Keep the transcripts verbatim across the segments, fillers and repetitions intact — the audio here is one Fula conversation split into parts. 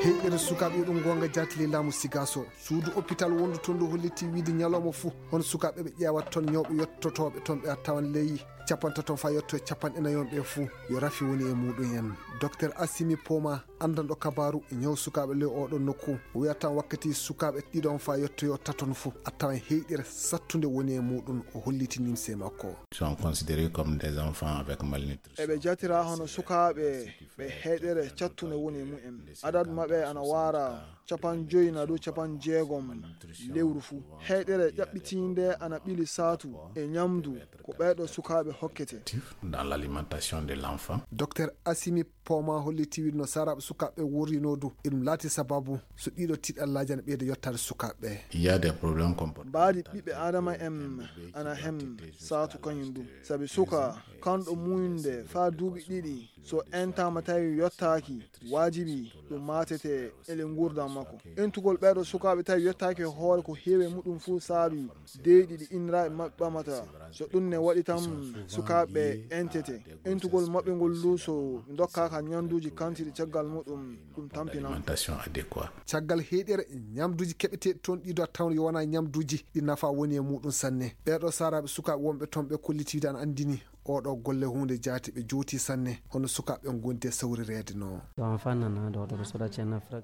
Heyɗere sukaaɓe yo ɗum goonga jaati ley laamu Sigaaso. Suudu hôpital wondu toon ndu hollitii wiide ñalawma fuu, hono sukaaɓe ɓe ƴeewata toon ñawɓe yottotooɓe toon ɓe a tawan ley capantato faa yotto e capanɗe nayi on ɓe fuu, yo rafi woni e muuɗum en. Docteur Assimi Poma, anndanɗo kabaaru ñaw sukaaɓe ley oo ɗoon nokku, o wiya tan wakkati sukaaɓe ɗiɗon faa yottoyoo taton fuu, a tawan heyɗere sattunde woni e muuɗum, o holliti nimse makko. Sont considérés comme des enfants avec malnutrition. Eɓe jatiraa hono sukaaɓe ɓe heyɗere cattunde woni e mumen. Adadu maɓɓe ana waara capanɗe joyi naa dow capanɗe jeegom lewru fuu. Heyɗere ƴaɓɓitiinde ana ɓili saatu e ñamdu ko ɓeeɗo sukaaɓe hokkete. Dans l'alimentation de l'enfant. Docteur Assimi Poma holliti wiide no saaraaɓe sukaaɓe wuurinoo du, eɗum laati sababu so ɗiɗo tiiɗallaaji ana ɓeyda yottaade sukaaɓe ɓe. Il y a des problèmes comportementaux. Mbaadi ɓiɓɓe Aadama en ana hem saatu kañum du. Sabi suka kanɗo muuynude faa duuɓi ɗiɗi, so entaama tawi yottaaki, waajibi ɗum maatete e ley nguurndam makko. Entugol ɓeeɗo sukaaɓe tawi yottaaki e hoore ko heewi e muɗum fuu saabi deeƴi ɗi inniraaɓe maɓɓe ɓamata. So ɗum ne waɗi tan sukaaɓe entete. Entugol maɓɓe ngol du so ɓe ndokkaaka ñamduuji kantiiɗi caggal muɗum ɗum tampinan. Alimentation adéquate. Caggal heyɗere ñamduuji keɓeteeɗi toon ɗiɗo a tawan yo wonaa ñamduuji ɗi nafa woni e muuɗum sanne. Ɓeeɗo saaraaɓe sukaaɓe wonɓe toon ɓe kolliti wiide ana anndini ooɗo golle huunde jaati ɓe jowtii sanne hono sukaaɓe ɓe ngondi e sawrireede no.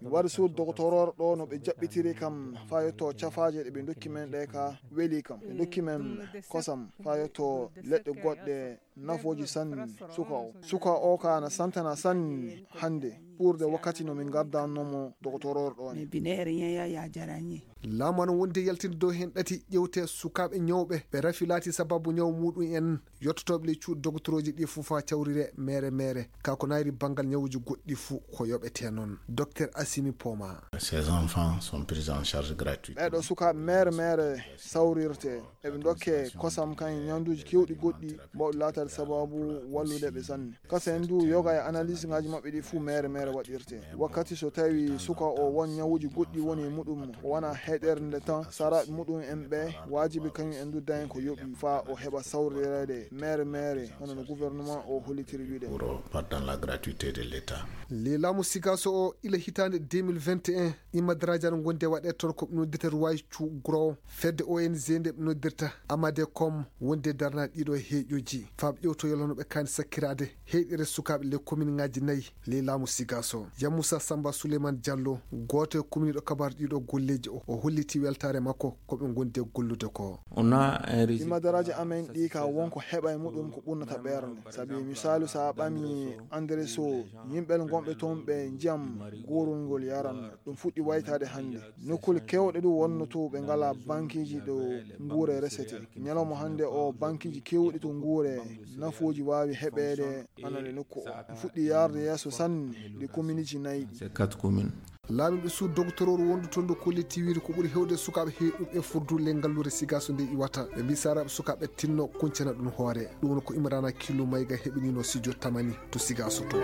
Mi wari suudu doktoror ɗo no ɓe jaɓɓitiri kam faa yotto cafaaje ɗe ɓe ndokki men ɗe ka weli kam. Ɓe ndokki men kosam faa yotto leɗɗe goɗɗe nafooji sanne suka o. Suka o ka na santana sanne hannde ɓurde wakkati no min ngardanno mo doktoror ɗo ne. Laamu ana wondi e yaltinde dow heen ɗati ƴewte sukaaɓe ñawɓe ɓe rafi laati sababu ñaw muuɗum en yottotooɓe ley cuuɗi doktorooji ɗi fuu faa cawrire meere meere. Kaa ko naayri banngal ñawuuji goɗɗi fuu ko yoɓetee noon. Docteur Assimi Poma. Ces enfants sont pris en charge gratuitement. Ɓeeɗo sukaaɓe meere meere sawrirte. Eɓe ndokke kosam kan e ñamduuji keewɗi goɗɗi mbawɗi laataade sababu wallude ɓe sanne. Kasa en du yoga e analyse ngaji maɓɓe ɗi fuu meere meere waɗirte. Wakkati so tawi suka o won ñawuuji goɗɗi woni e muɗum, o wona heɗerde nde tan, saraaɓe muɗum en ɓe, waajibi kañum en du dañen ko yoɓi faa o heɓa sawrireede meere meere, hono no gouvernement o hollitiri wiide. Pour, euh, pas dans la gratuité de l'État. Ley laamu Sigaso o, ila hitaande deux mille vingt et un, Imma Daraaji ana ngondi e waɗeede toon ko ɓe noddirta Ruwaaji Cu Guro, fedde O N G nde ɓe noddirta Amadecom, wondi e darnaade ɗiɗo heeƴooji. Faa ɓe ƴewtoyoo hono ɓe kaani sakkiraade heyɗere sukaaɓe ley kominŋaaji nayi ley laamu Sigaso. Yamusa Samba Suleyman Jallo, gooto e kumniiɗo kabaaru ɗiɗo golleeji o, o hollitii weltaare makko ko ɓe ngondi e gollude ko. Imma Daraaji amen ɗi ka won ko heɓa e muɗum ko ɓurnata ɓernde. Sabi misaalu, so a ɓami Andreso, yimɓe ngonɓe toon ɓe njiyam goorol ngol yaran. Ɗum fuɗɗi waytaade hannde. Nokkuule keewɗe du wonno to ɓe ngalaa bankiiji ɗo nguure resete. Ñalawma hannde o bankiiji keewɗi to nguure nafooji waawi heɓeede ana le nokku o. Ɗum fuɗɗi yaarde yeeso sanne le kominiiji nayi ɗi. Laamiiɗo suudu doktorooru wondu toon ndu kolliti wiide ko ɓuri heewde sukaaɓe heewɓe e furdu le ngalluure Sigaso nde iwata. Ɓe mbii saraaɓe sukaaɓe tinno kuncana ɗum hoore. Ɗum woni ko Imrana Kilu Mayga heɓinino Sijo Tamani to Sigaso to.